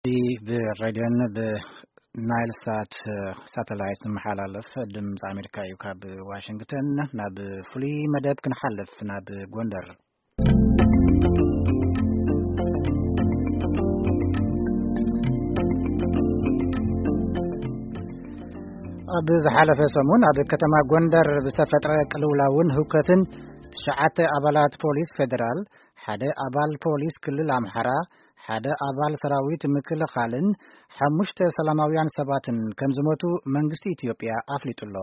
እዚ ብሬድዮን ብናይል ሳት ሳተላይት ዝመሓላለፍ ድምፂ ኣሜሪካ እዩ። ካብ ዋሽንግተን ናብ ፍሉይ መደብ ክንሓልፍ፣ ናብ ጎንደር። ኣብ ዝሓለፈ ሰሙን ኣብ ከተማ ጎንደር ብዝተፈጥረ ቅልውላውን ህውከትን ትሽዓተ ኣባላት ፖሊስ ፌደራል፣ ሓደ ኣባል ፖሊስ ክልል ኣምሓራ፣ ሓደ ኣባል ሰራዊት ምክልኻልን ሓሙሽተ ሰላማውያን ሰባትን ከም ዝሞቱ መንግስቲ ኢትዮጵያ ኣፍሊጡ ኣሎ።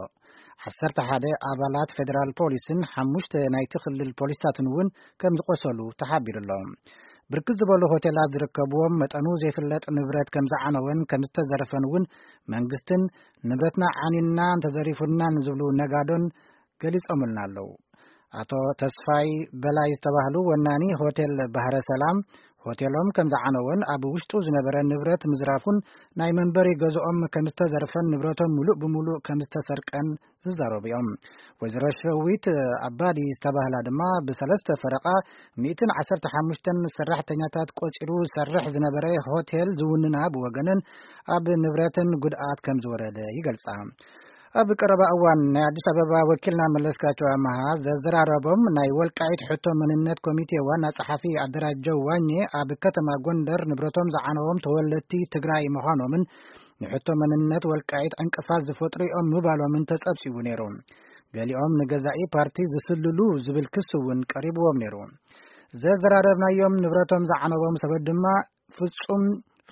ዓሰርተ ሓደ ኣባላት ፌደራል ፖሊስን ሓሙሽተ ናይቲ ክልል ፖሊስታትን እውን ከም ዝቆሰሉ ተሓቢሩ ኣሎ። ብርክት ዝበሉ ሆቴላት ዝርከብዎም መጠኑ ዘይፍለጥ ንብረት ከም ዝዓነወን ከም ዝተዘረፈን እውን መንግስትን ንብረትና ዓኒና እንተዘሪፉና ንዝብሉ ነጋዶን ገሊጾምልና ኣለዉ። ኣቶ ተስፋይ በላይ ዝተባህሉ ወናኒ ሆቴል ባህረ ሰላም፣ ሆቴሎም ከም ዝዓነወን ኣብ ውሽጡ ዝነበረ ንብረት ምዝራፉን ናይ መንበሪ ገዝኦም ከም ዝተዘርፈን ንብረቶም ምሉእ ብምሉእ ከም ዝተሰርቀን ዝዛረቡ እዮም። ወይዘሮ ሸዊት ኣባዲ ዝተባህላ ድማ ብሰለስተ ፈረቓ ሚእትን ዓሰርተ ሓሙሽተን ሰራሕተኛታት ቆጺሩ ዝሰርሕ ዝነበረ ሆቴል ዝውንና ብወገነን ኣብ ንብረተን ጉድኣት ከም ዝወረደ ይገልጻ። ኣብ ቀረባ እዋን ናይ ኣዲስ ኣበባ ወኪልና መለስካቸው ኣመሃ ዘዘራረቦም ናይ ወልቃይት ሕቶ መንነት ኮሚቴ ዋና ጸሓፊ ኣደራጀው ዋኘ ኣብ ከተማ ጎንደር ንብረቶም ዝዓነዎም ተወለድቲ ትግራይ ምዃኖምን ንሕቶ መንነት ወልቃይት ዕንቅፋት ዝፈጥሩ እዮም ምባሎምን ተጸብሲቡ ነይሩ። ገሊኦም ንገዛኢ ፓርቲ ዝስልሉ ዝብል ክስ እውን ቀሪብዎም ነይሩ። ዘዘራረብናዮም ንብረቶም ዝዓነዎም ሰባት ድማ ፍጹም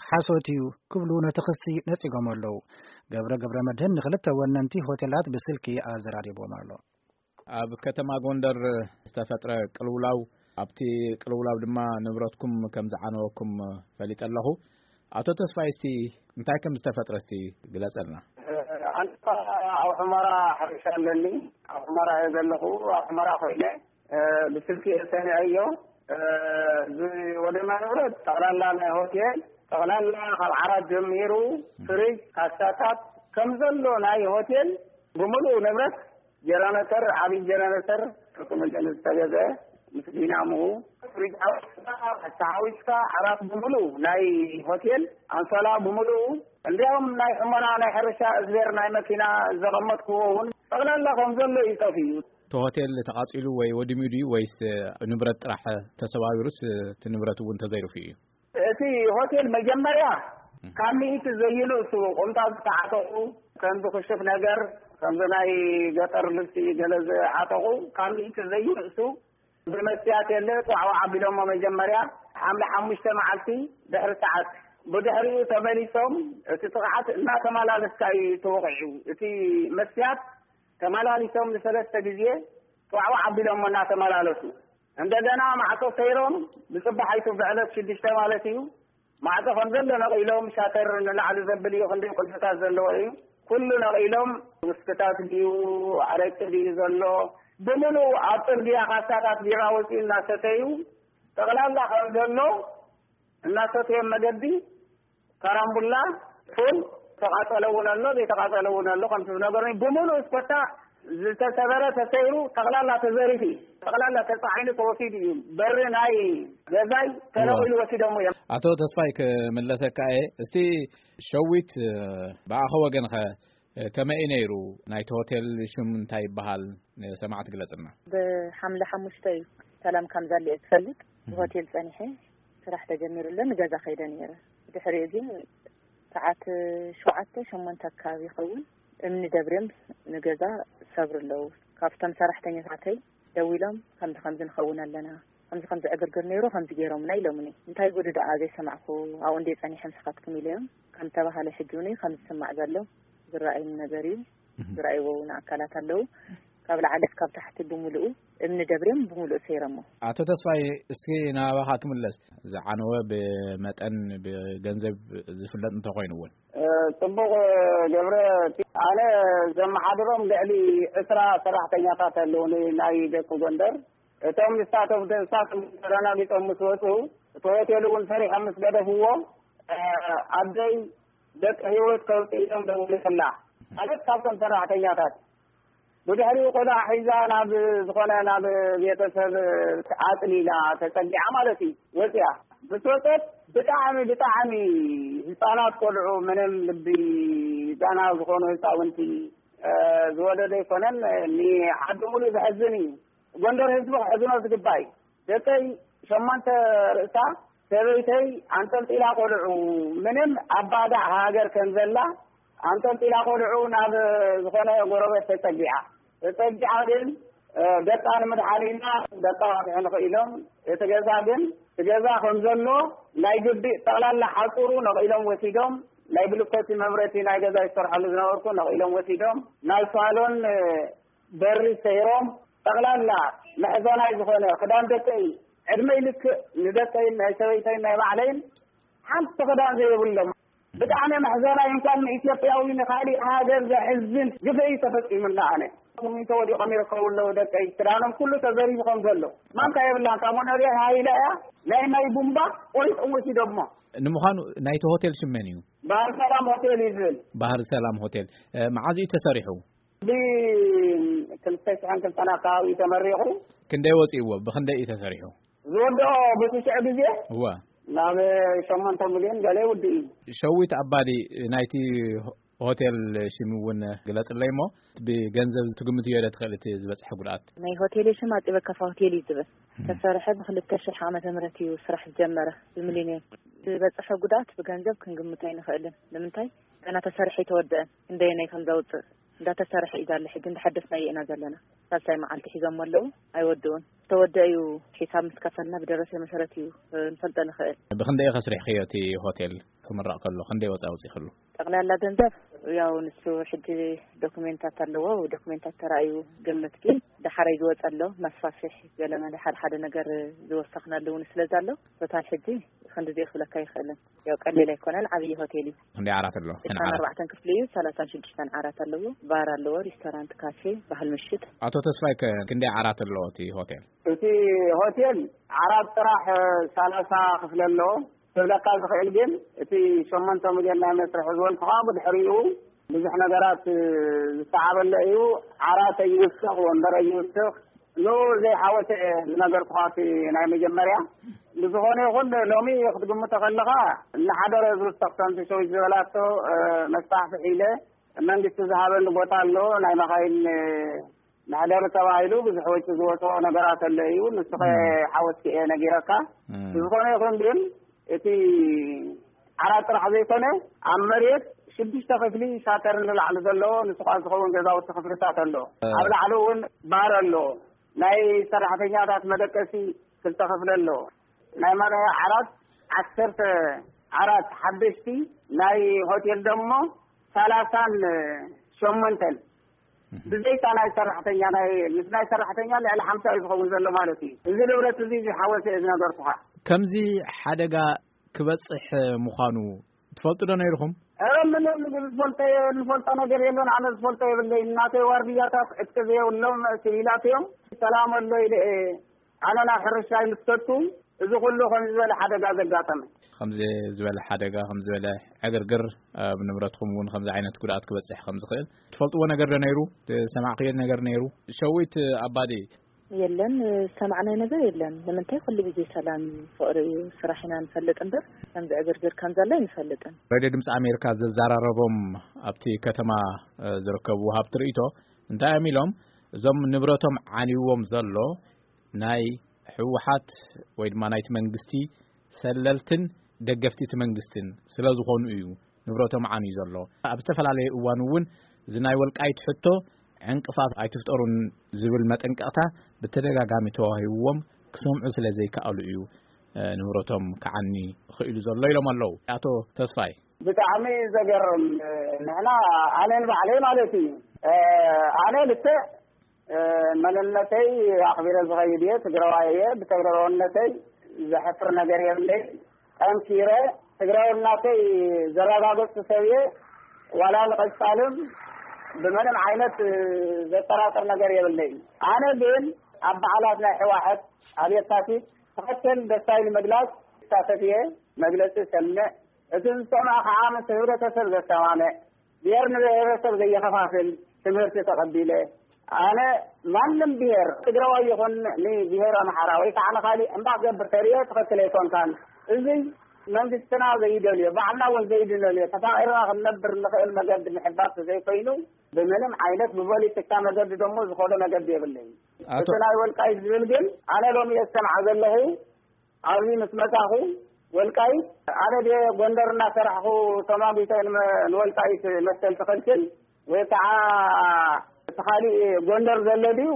ሓሶት እዩ ክብሉ ነቲ ክሲ ነጺጎም ኣለዉ። ገብረ ገብረ መድህን ንክልተ ወነንቲ ሆቴላት ብስልኪ ኣዘራሪብዎም ኣሎ። ኣብ ከተማ ጎንደር ዝተፈጥረ ቅልውላው፣ ኣብቲ ቅልውላው ድማ ንብረትኩም ከም ዝዓነወኩም ፈሊጠ ኣለኹ። ኣቶ ተስፋይ፣ እስቲ እንታይ ከም ዝተፈጥረ እስቲ ግለጸልና። ኣንታ ኣብ ሑመራ ሕርሻ ኣለኒ። ኣብ ሑመራ እየ ዘለኹ። ኣብ ሑመራ ኮይነ፣ እ፣ ብስልኪ እየ ሰሚዐዮ። እ፣ ዝወደመ ንብረት ጠቕላላ ናይ ሆቴል፣ ጠቕላላ ካብ ዓራት ጀሚሩ፣ ፍሪጅ፣ ካሳታት፣ ከም ዘሎ ናይ ሆቴል ብምሉእ ንብረት፣ ጀነሬተር፣ ዓብዪ ጀነሬተር፣ ጥርቂ መጠን ዝተገዘ ምስ ዲናምኡ፣ ፍሪጅ ሓዊስካ፣ ካሳ ሓዊስካ፣ ዓራት ብምሉእ ናይ ሆቴል፣ ኣንሶላ ብምሉኡ፣ እንዲያውም ናይ ሕመና ናይ ሕርሻ እዝቤር ናይ መኪና ዘቐመጥክዎ እውን ጠቕላላ ከም ዘሎ እዩ ጠፊኡ። እቲ ሆቴል ተቓጺሉ ወይ ወዲሙ ድዩ ወይስ ንብረት ጥራሕ ተሰባቢሩስ እቲ ንብረት እውን ተዘይርፉ እዩ? እቲ ሆቴል መጀመርያ ካብ ሚእቲ ዘይንእሱ ቁምጣ ዝተዓጠቑ፣ ከምዚ ክሽፍ ነገር፣ ከምዚ ናይ ገጠር ልብሲ ገለ ዝዓጠቑ፣ ካብ ሚእቲ ዘይንእሱ ብመስትያት የለ፣ ጧዕዋዕ ኣቢሎሞ መጀመርያ ሓምለ ሓሙሽተ መዓልቲ ድሕሪ ሰዓት። ብድሕሪኡ ተመሊሶም፣ እቲ ጥቕዓት እናተመላለስካ እዩ ተወቒዑ። እቲ መስትያት ተመላሊሶም ንሰለስተ ግዜ ጧዕዋዕ ኣቢሎሞ እናተመላለሱ። እንደገና ማዕጾ ሰይሮም፣ ብጽባሕ ኣይቱ ብዕለት ሽዱሽተ ማለት እዩ። ማዕጾ ከም ዘሎ ነቒሎም፣ ሻተር ንላዕሊ ዘብል እዩ፣ ክንደይ ቁልፍታት ዘለዎ እዩ። ኩሉ ነቒሎም፣ ውስክታት ድዩ፣ ኣረቂ ድዩ ዘሎ፣ ብምሉእ ኣብ ጽርግያ ካሳታት ቢራ ወጺኡ እናሰተዩ፣ ጠቕላላ ከም ዘሎ እናሰተዮም መገዲ ካራምቡላ፣ ፉል፣ ተቃጸለ እውን ኣሎ፣ ዘይተቃጸለ እውን ኣሎ። ከምቲ ዝነገሩኒ፣ ብምሉእ እስኮታ ዝተሰበረ ተሰይሩ፣ ጠቕላላ ተዘሪፉ እዩ። ጠቕላላ ተጻዒኑ ተወሲዱ እዩ። በሪ ናይ ገዛይ ተነቒሉ ወሲዶም እዮም። ኣቶ ተስፋይ፣ ክምለሰካ እየ። እስቲ ሸዊት፣ ብኣኸ ወገንኸ ከመይ እዩ ነይሩ? ናይቲ ሆቴል ሽም እንታይ ይበሃል? ንሰማዕቲ ግለጽልና። ብሓምለ ሓሙሽተ እዩ ሰላም ካምዛሊ እየ ዝፈልጥ። እህ። ብሆቴል ጸኒሐ ስራሕ ተጀሚሩ ኣሎ፣ ንገዛ ከይደ ነይረ። ድሕሪኡ ግን ሰዓት ሸውዓተ፣ ሸሞንተ ኣካባቢ ይኸውን፣ እምኒ ደብርዮም ንገዛ ሰብሩ ኣለዉ። ካብቶም ሰራሕተኛታተይ ደዊሎም፣ "ከምዚ ከምዚ ንኸውን ኣለና፣ ከምዚ ከምዚ ዕግርግር ነይሩ፣ ከምዚ ገይሮምና" ኢሎምኒ። "እንታይ ጉዱ ደኣ ዘይሰማዕኩ፣ ኣብኡ እንደ ጸኒሐ ምስኻትኩም?" ኢለዮም። ከም ተባሃለ ሕጂ እውን ከም ዝስማዕ ዘሎ ዝረኣይኒ ነገር እዩ። እህ። ዝረኣይዎ እውን ኣካላት ኣለዉ። ካብ ላዕሊ እስካብ ታሕቲ ብምሉኡ እምኒ ደብርዮም ብምሉኡ ሰይሮሞ። ኣቶ ተስፋይ፣ እስኪ ናባኻ ክምለስ። ዝዓነወ ብመጠን ብገንዘብ ዝፍለጥ እንተኾይኑ እውን። እ፣ ጽቡቕ ገብረ፣ ኣነ ዘመሓድሮም ልዕሊ ዕስራ ሰራሕተኛታት ኣለዉኒ ናይ ደቂ ጎንደር። እቶም ንሳቶም፣ ንሳቶም ተረጋጊጾም ምስ ወጹ፣ እቲ ሆቴል እውን ሰሪሖም ምስ ገደፍዎ፣ እ፣ ኣደይ ደቂ ህይወት ከውጽእ ኢሎም ደዊለላ። ማለት ካብቶም ሰራሕተኛታት። ብድሕሪኡ ቆልዓ ሒዛ ናብ ዝኾነ ናብ ቤተሰብ ኣጽሊላ ተጸጊዓ ማለት እዩ። ወጺኣ። ምስ ወጸት ብጣዕሚ፣ ብጣዕሚ ህፃናት ቆልዑ፣ ምንም ልቢ ዳና ዝኾኑ ህፃውንቲ፣ እ፣ ዝወለደ ኣይኮነን። ንዓዲ ሙሉእ ዘሕዝን እዩ። ጎንደር ህዝቢ ክሕዝኖ ዝግባእ እዩ። ደቀይ ሸሞንተ ርእሳ፣ ሰበይተይ ኣንጠልጢላ ቆልዑ፣ ምንም ኣብ ባዳዕ ሃገር ከም ዘላ ኣንጠልጢላ ቆልዑ ናብ ዝኾነ ጎረቤት ተጸጊዓ። ተጸጊዓ ግን፣ እ፣ ደቃ ንምድሓን ኢልና ደቃ ክሕን ኢሎም፣ እቲ ገዛ ግን፣ እቲ ገዛ ከም ዘሎ ናይ ግቢ ጠቕላላ ሓጹሩ ነቒሎም ወሲዶም፣ ናይ ብልኮቲ መምረቲ ናይ ገዛ ይሰርሐሉ ዝነበርኩ ነቒሎም ወሲዶም፣ ናይ ሳሎን፣ እ፣ በሪ ሰይሮም፣ ጠቕላላ መሕዘናይ ዝኾነ ክዳን ደቀይ፣ ዕድመይ ልክእ ንደቀይን ናይ ሰበይተይን ናይ ባዕለይን ሓንቲ ክዳን ዘይብሎም። ብጣዕሚ መሕዘናይ፣ እንኳን ንኢትዮጵያዊ ንኻሊእ ሃገር ዘሕዝን ግፍዒ ተፈጺሙና። ኣነ ስሚንቶ ወዲቖም ይርከቡ ኣለዉ ደቀይ፣ ክዳኖም ኩሉ ተዘሪፉ ከም ዘሎ። ማንካ የብላን፣ ካብ መኖርያ ሃይላ እያ፣ ናይ ማይ ቡምባ ቆሪጦም ወሲዶሞ። ንምዃኑ ናይቲ ሆቴል ሽም መን እዩ? ባህር ሰላም ሆቴል እዩ ዝብል። ባህር ሰላም ሆቴል፣ እ፣ መዓዝ እዩ ተሰሪሑ? ብ ክልተ ሽሕን ክልተን ኣካባቢ ተመሪቑ። ክንደይ ወፂእዎ? ብኽንደይ እዩ ተሰሪሑ? ዝወድኦ ብትሽዕ ግዜ እዋ። ናብ ሸሞንተ ሚልዮን ገለ ይውድእ እዩ። ሸዊት ኣባዲ ናይቲ ሆቴል ሽም እውን ግለፅለይ እሞ፣ ብገንዘብ ትግምትዮ ዶ ትኽእል እቲ ዝበፅሐ ጉድኣት? ናይ ሆቴል ሽም ኣፂበ ካፋ ሆቴል እዩ ዝብል። እም። ተሰርሐ ብክልተ ሽሕ ዓመተ ምህረት እዩ ስራሕ ዝጀመረ፣ ብሚሊዮን። ዝበፅሐ ጉድኣት ብገንዘብ ክንግምቶ ኣይንኽእልን። ንምንታይ? ገና ተሰርሐ ኣይተወደአን። ክንደየናይ ከም ዘውፅእ እንዳተሰርሐ እዩ ዘሎ። ሕጂ እንዳሐደስናዮ ኢና ዘለና። ሳልሳይ መዓልቲ ሒዞሞ ኣለዉ፣ ኣይወድኡን። ዝተወደአ እዩ፣ ሒሳብ ምስ ከፈልና ብደረሰ መሰረት እዩ፣ እ፣ ንፈልጦ ንኽእል። ብኽንደይ ኢኺ ኣስሪሕክዮ እቲ ሆቴል ክምረቕ ከሎ? ክንደይ ወፃኢ ኣውፂእክሉ? ጠቕላላ ገንዘብ ያው ንሱ ሕጂ ዶክሜንታት ኣለዎ፣ ዶክሜንታት ተራእዩ ግምት፣ ግን ደሓረይ ዝወፀ ኣሎ፣ መስፋስሒ ገለ መለ ሓደ ሓደ ነገር ዝወሰኽናሉ እውን ስለ ዘሎ፣ ቶታል ሕጂ ክንድዚ ክብለካ ይኽእልን። ያው ቀሊል ኣይኮነን፣ ዓብዪ ሆቴል እዩ። ክንደይ ዓራት ኣለዎ? እተን ዓራት? ዕስራን ኣርባዕተን ክፍሊ እዩ፣ ሰላሳን ሽዱሽተን ዓራት ኣለዎ። ባር ኣለዎ፣ ሪስቶራንት፣ ካፌ፣ ባህል ምሽት። ኣቶ ተስፋይ ከ ክንደይ ዓራት ኣለዎ እቲ ሆቴል? እቲ ሆቴል ዓራት ጥራሕ ሰላሳ ክፍሊ ኣለዎ። ክብለካ ዝኽእል ግን እቲ ሸሞንተ ሚልዮን ናይ መስርሒ ዝበልኩኻ ብድሕሪኡ ብዙሕ ነገራት ዝሰዓበለ እዩ። ዓራት ኣይውስኽ፣ ወንበር ኣይውስኽ፣ ንኡ ዘይሓወሰ እየ ዝነገርኩኻ እቲ ናይ መጀመርያ። ብዝኾነ ይኹን ሎሚ ክትግምቶ ከለኻ እናሓደረ ዝውሰኽ ከምቲ ሸዊት ዝበላቶ፣ እ፣ መስፋሕፍሒ ኢለ መንግስቲ ዝሃበኒ ቦታ ኣሎ፣ ናይ መኻይን መሕደሪ ተባሂሉ ብዙሕ ወጪ ዝወፅኦ ነገራት ኣሎ እዩ። ንሱ ኸ እም። ሓወስኪ እየ ነጊረካ። እም። ብዝኾነ ይኹን ግን እቲ ዓራት ጥራሕ ዘይኮነ ኣብ መሬት ሽዱሽተ ክፍሊ ሻተር ንላዕሊ ዘለዎ ንሱ ከዓ ዝኸውን ገዛውቲ ክፍልታት ኣሎ። እ። ኣብ ላዕሊ እውን ባር ኣሎ። ናይ ሰራሕተኛታት መደቀሲ ክልተ ክፍሊ ኣሎ። ናይ መርዓ ዓራት ዓሰርተ ዓራት ሓደሽቲ፣ ናይ ሆቴል ደሞ ሰላሳን ሸሞንተን። እህ። ብዘይካ ናይ ሰራሕተኛ፣ ናይ፣ ምስ ናይ ሰራሕተኛ ልዕሊ ሓምሳ እዩ ዝኸውን ዘሎ ማለት እዩ። እዚ ንብረት እዚ ዝሓወሰ እዩ ዝነገርኩኻ። ከምዚ ሓደጋ ክበጽሕ ምዃኑ ትፈልጡ ዶ ነይርኹም? ኧረ ምንም ዝፈልጦ፣ ዝፈልጦ ነገር የለን። ኣነ ዝፈልጦ የብለይን። እናተይ ዋርድያታት ዕጥቂ ዘየብሎም ሲቪላት እዮም። ሰላም ኣሎ ኢለ እየ። ኣነ ናብ ሕርሻይ ምስ ከድኩ፣ እዚ ኩሉ ከምዚ ዝበለ ሓደጋ ዘጋጠመ። ከምዚ ዝበለ ሓደጋ፣ ከምዚ ዝበለ ዕግርግር፣ ኣብ ንብረትኩም እውን ከምዚ ዓይነት ጉድኣት ክበጽሕ ከም ዝኽእል ትፈልጥዎ ነገር ዶ ነይሩ? ዝሰማዕክዮ ነገር ነይሩ? ሸዊት ኣባዲ። የለን፣ ዝሰማዕናዮ ነገር የለን። ንምንታይ? ኩሉ ግዜ ሰላም እዩ፣ ፍቕሪ እዩ፣ ስራሕ ኢና ንፈልጥ እምበር፣ ከምዚ ዕግርግር ከም ዘሎ ኣይንፈልጥን። ሬድዮ ድምፂ ኣሜሪካ ዘዘራረቦም ኣብቲ ከተማ፣ እ፣ ዝርከቡ ወሃብቲ ርእይቶ እንታይ እዮም ኢሎም? እዞም ንብረቶም ዓንይዎም ዘሎ ናይ ህወሓት ወይ ድማ ናይቲ መንግስቲ ሰለልትን ደገፍቲ እቲ መንግስትን ስለ ዝኾኑ እዩ ንብረቶም ዓንዩ ዘሎ። ኣብ ዝተፈላለየ እዋን እውን እዚ ናይ ወልቃይት ሕቶ ዕንቅፋት ኣይትፍጠሩን ዝብል መጠንቀቕታ ብተደጋጋሚ ተዋሂብዎም ክሰምዑ ስለ ዘይከኣሉ እዩ፣ እ፣ ንብረቶም ክዓኒ ክኢሉ ዘሎ ኢሎም ኣለዉ። ኣቶ ተስፋይ። ብጣዕሚ ዘገርም። ንሕና፣ ኣነ ንባዕለይ ማለት እዩ፣ እ፣ ኣነ ልክዕ እ፣ መንነተይ ኣኽቢረ ዝኸይድ እየ፣ ትግራዋይ እየ። ብትግራዋይነተይ ዘሕፍር ነገር የብለይ። ጠንኪረ ትግራውነተይ ዘረጋገጽኩ ሰብ እየ። ዋላ ንቐጻልም ብምንም ዓይነት፣ እ፣ ዘጠራጥር ነገር የብለይ። ኣነ ግን ኣብ በዓላት ናይ ሕዋሕት ኣብ የካቲት ትኽክል ደስታይ ንምግላጽ ይሳተፍ እየ። መግለጺ እሰምዕ። እቲ ዝሰምዖ ከዓ ምስ ህብረተሰብ ዘሰማምዕ፣ ብሄር ንብሄረሰብ ዘየኸፋፍል ትምህርቲ ተቐቢለ። ኣነ ማንም ብሄር ትግራዋይ ይኹን ንብሄር ኣምሓራ ወይ ከዓ ንኻሊእ እምባ ክገብር ተርእዮ ትኽክል ኣይኮንካን። እዚ መንግስትና ዘይደልዮ፣ ባዕልና እውን ዘይድነልዮ፣ ተፋቒርና ክንነብር እንኽእል መገዲ ምሕባር ዘይኮይኑ፣ ብምንም ዓይነት ብፖለቲካ መገዲ ደሞ ዝኾነ መገዲ የብለይ። ኣቶ እቲ ናይ ወልቃይት ዝብል ግን ኣነ ሎሚ እየ ዝሰምዓ ዘለኹ። ኣብዚ ምስ መጻኹ ወልቃይት፣ ኣነ ድየ ጎንደር እናሰራሕኹ ተማጒተ ንመ-፣ ንወልቃይት መሰል ትኸልክል ወይ ከዓ እቲ ካሊእ ጎንደር ዘሎ ድዩ?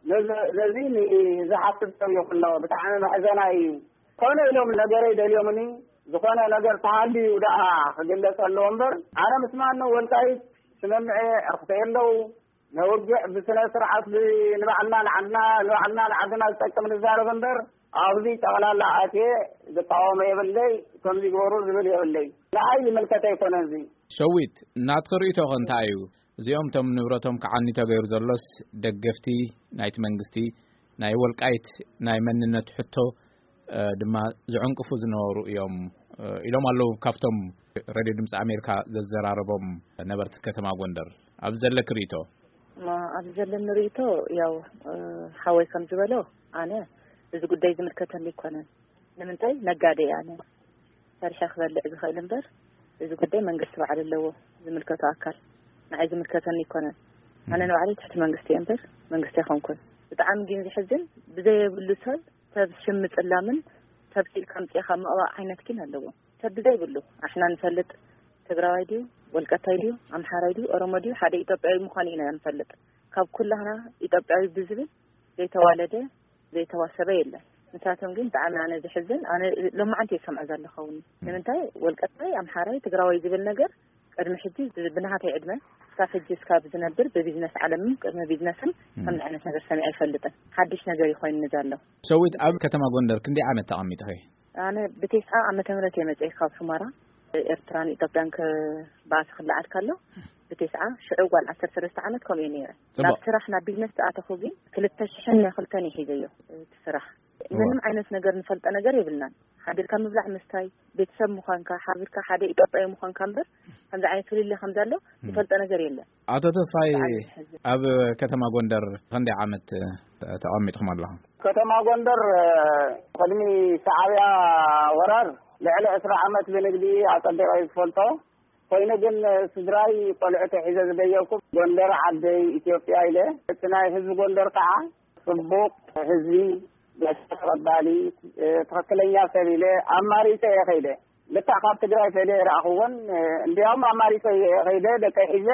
ነዚ፣ ነዚ ንዝሓስብ ሰብ ይኹን ኣሎ። ብጣዕሚ መሕዘናይ እዩ። ኮነ ኢሎም ነገረይ ደልዮምኒ፣ ዝኾነ ነገር ተሃልዩ ደኣ ክግለጽ ኣለዎ እምበር፣ ኣነ ምስ ማንም ወልቃይት ስምምዐ ኣኽተየ ኣለዉ። ነውግዕ ብስነ ስርዓት ብ-፣ ንባዕልና ንዓድና፣ ንባዕልና ንዓድና ዝጠቅም ንዛረብ እምበር፣ ኣብዚ ጠቕላላ ኣትየ ዝቃወሞ የብለይ፣ ከምዚ ግበሩ ዝብል የብለይ። ንዓይ ዝምልከት ኣይኮነን እዚ። ሸዊት፣ ናትኺ ርእይቶ ኸ እንታይ እዩ? እዚኦም እቶም ንብረቶም ክዓኒ ተገይሩ ዘሎስ ደገፍቲ ናይቲ መንግስቲ ናይ ወልቃይት ናይ መንነት ሕቶ፣ እ፣ ድማ ዝዕንቅፉ ዝነበሩ እዮም፣ እ፣ ኢሎም ኣለዉ። ካብቶም ሬድዮ ድምፂ ኣሜሪካ ዘዘራረቦም ነበርቲ ከተማ ጎንደር ኣብዚ ዘለኪ ርእይቶ? ማ-፣ ኣብዚ ዘለኒ ርእይቶ ያው፣ እ፣ ሓወይ ከም ዝበሎ ኣነ እዚ ጉዳይ ዝምልከተኒ ኣይኮነን። ንምንታይ ነጋዴ እየ ኣነ። ሰሪሐ ክበልዕ ዝኽእል እምበር፣ እዚ ጉዳይ መንግስቲ ባዕሉ ኣለዎ ዝምልከቶ ኣካል። ንዓይ ዝምልከተኒ ኣይኮነን። ኣነ ንባዕለይ ትሕቲ መንግስቲ እየ እምበር መንግስቲ ኣይኮንኩን። ብጣዕሚ ግን ዝሕዝን፣ ብዘየብሉ ሰብ፣ ሰብ ሽም ምጽላምን ሰብ ስኢልካ ኣምጺእካ ምቕባእ ዓይነት ግን ኣለዎ። ሰብ ብዘይብሉ፣ ኣሕና ንፈልጥ ትግራዋይ ድዩ፣ ወልቀታይ ድዩ፣ ኣምሓራይ ድዩ፣ ኦሮሞ ድዩ፣ ሓደ ኢትዮጵያዊ ምዃኑ ኢና ንፈልጥ። ካብ ኩላህና ኢትዮጵያዊ ብዝብል ዘይተዋለደ ዘይተዋሰበ የለን። ንሳቶም ግን ብጣዕሚ ኣነ ዝሕዝን፣ ኣነ ሎማዓንቲ እየ ዝሰምዖ ዘለኹ እውን። ንምንታይ ወልቀታይ፣ ኣምሓራይ፣ ትግራዋይ ዝብል ነገር ቅድሚ ሕጂ ብ-፣ ብናሃተይ ዕድመ እስካብ ሕጂ እስካብ ዝነብር ብቢዝነስ ዓለምን ቅድሚ ቢዝነስን ከምዚ ዓይነት ነገር ሰሚዐ ኣይፈልጥን። ሓድሽ ነገር እዩ ኮይኑኒ ዘሎ። ሸዊት፣ ኣብ ከተማ ጎንደር ክንደይ ዓመት ተቐሚጥኺ? ኣነ ብቴስዓ ዓመተ ምህረት እየ መፅኤ ካብ ሑመራ። ኤርትራን ኢትዮጵያን ክበኣስ ክለዓል ከሎ ብቴስዓ ሽዑ ጓል ዓሰርተ ሰለስተ ዓመት ከምኡ እየ ነይረ። ጽቡቕ። ናብ ስራሕ ናብ ቢዝነስ ዝኣተኹ ግን ክልተ ሽሕን ክልተን እየ ሒዘዮ እቲ ስራሕ። እዋ። ምንም ዓይነት ነገር ንፈልጦ ነገር የብልናን። ሓቢርካ ምብላዕ ምስታይ፣ ቤተሰብ ምዃንካ፣ ሓቢርካ ሓደ ኢትዮጵያዊ ምዃንካ እምበር ከምዚ ዓይነት ፍልልይ ከም ዘሎ እም። ንፈልጦ ነገር የለን። ኣቶ ተስፋይ፣ ብጣዕሚ ዝሕዝን። ኣብ ከተማ ጎንደር ክንደይ ዓመት፣ እ፣ ተቐሚጥኩም ኣለኹም? ከተማ ጎንደር፣ እ፣ ቅድሚ ሻዕብያ ወራር ልዕሊ ዕስራ ዓመት ብንግዲ ኣጸቢቐ እየ ዝፈልጦ። ኮይኑ ግን፣ እ፣ ስድራይ ቆልዑተይ ሒዘ ዝደየብኩ ጎንደር ዓደይ ኢትዮጵያ ኢለ፣ እቲ ናይ ህዝቢ ጎንደር ከዓ ጽቡቕ ህዝቢ፣ ገዛ ተቐባሊ፣ እ፣ ትኽክለኛ ሰብ ኢለ ኣማሪጸ እየ ከይደ። ልክዕ ካብ ትግራይ ፈለ ይረኣኽዎን፣ እ፣ እንዲያውም ኣማሪጸ እየ ከይደ፣ ደቀይ ሒዘ፣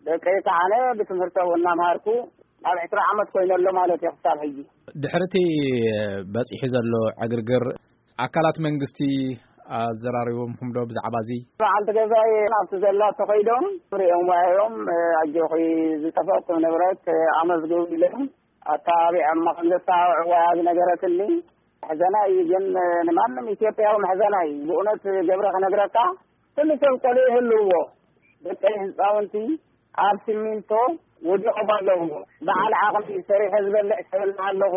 ደቀይ ከዓ ኣነ ብትምህርቶም እናምሃርኩ ኣብ ዕስራ ዓመት ኮይነ ኣሎ ማለት እዩ ክሳብ ሕጂ። ድሕሪ እቲ በጺሑ ዘሎ ዕግርግር፣ ኣካላት መንግስቲ ኣዘራሪቦምኩም ዶ ብዛዕባ እዚ? በዓልቲ ገዛይ ናብቲ ዘላ ተኸይዶም ሪኦም ዋዮም፣ እ፣ ኣጆኺ ዝጠፈእኩም ንብረት፣ እ፣ ኣመዝግቡ ኢሎም ኣተባቢዖም ከም ዘተባብዕዋ ዝነገረትኒ። መሕዘና እዩ ግን፣ እ፣ ንማንም ኢትዮጵያዊ መሕዘና እዩ። ብእውነት ገብረ ክነግረካ፣ ኩሉ ሰብ ቆልዑ ይህልውዎ። ደቀይ ህፃውንቲ ኣብ ሲሚንቶ ወዲቖም ኣለዉ። በዓል ዓቕሚ ሰሪሐ ዝበልዕ ሰብ ኣለኹ።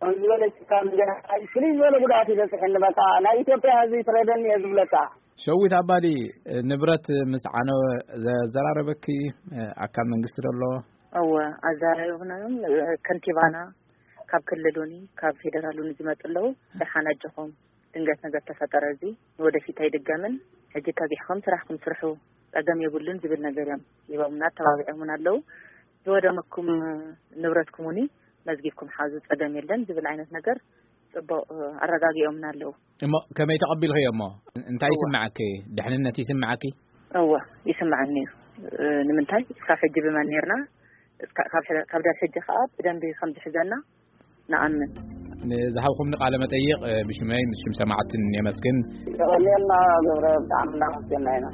ከም ዝበለ ጭካ ምንገራይ ፍልይ ዝበለ ጉድኣት ይበፅሐኒ። በቃ ናይ ኢትዮጵያ ህዝቢ ይፍረደኒ እየ ዝብለካ። ሸዊት ኣባዲ፣ ንብረት ምስ ዓነወ ዘዘራረበኪ ኣካል መንግስቲ ዶ ኣሎ? እወ፣ ኣዘራሪብናዮም። ከንቲባና ካብ ክልል እውን ካብ ፌደራል እውን ዝመፁ ኣለዉ። ደሓን ኣጆኹም፣ ድንገት ነገር ተፈጠረ፣ እዚ ንወደፊት ኣይድገምን። ሕጂ ከቢሕኩም ስራሕኩም ስርሑ፣ ፀገም የብሉን ዝብል ነገር እዮም ሂቦምና፣ ኣተባቢዖምን ኣለዉ። ዝወደመኩም ንብረትኩም እውን መዝጊብኩም ሓዙ፣ ፀገም የለን ዝብል ዓይነት ነገር ፅቡቕ ኣረጋጊኦምና ኣለዉ። እሞ ከመይ ተቐቢልኽዮ እሞ? እንታይ እወ። ይስምዓኪ? ድሕንነት ይስምዓኪ? እወ፣ ይስምዓኒ እዩ። እ፣ ንምንታይ? እስካብ ሕጂ ብመን ኔርና? እስካ-፣ ካብ ሕደ-፣ ካብ ዳብ ሕጂ ከኣ ብደንቢ ከም ዝሕዘና ንኣምን። ንዝሃብኩምኒ ቃለ መጠይቕ፣ እ፣ ብሽመይ ምስ ሽም ሰማዕትን የመስግን። የቐንየልና ገብረ፣ ብጣዕሚ እናመስገና ኢና።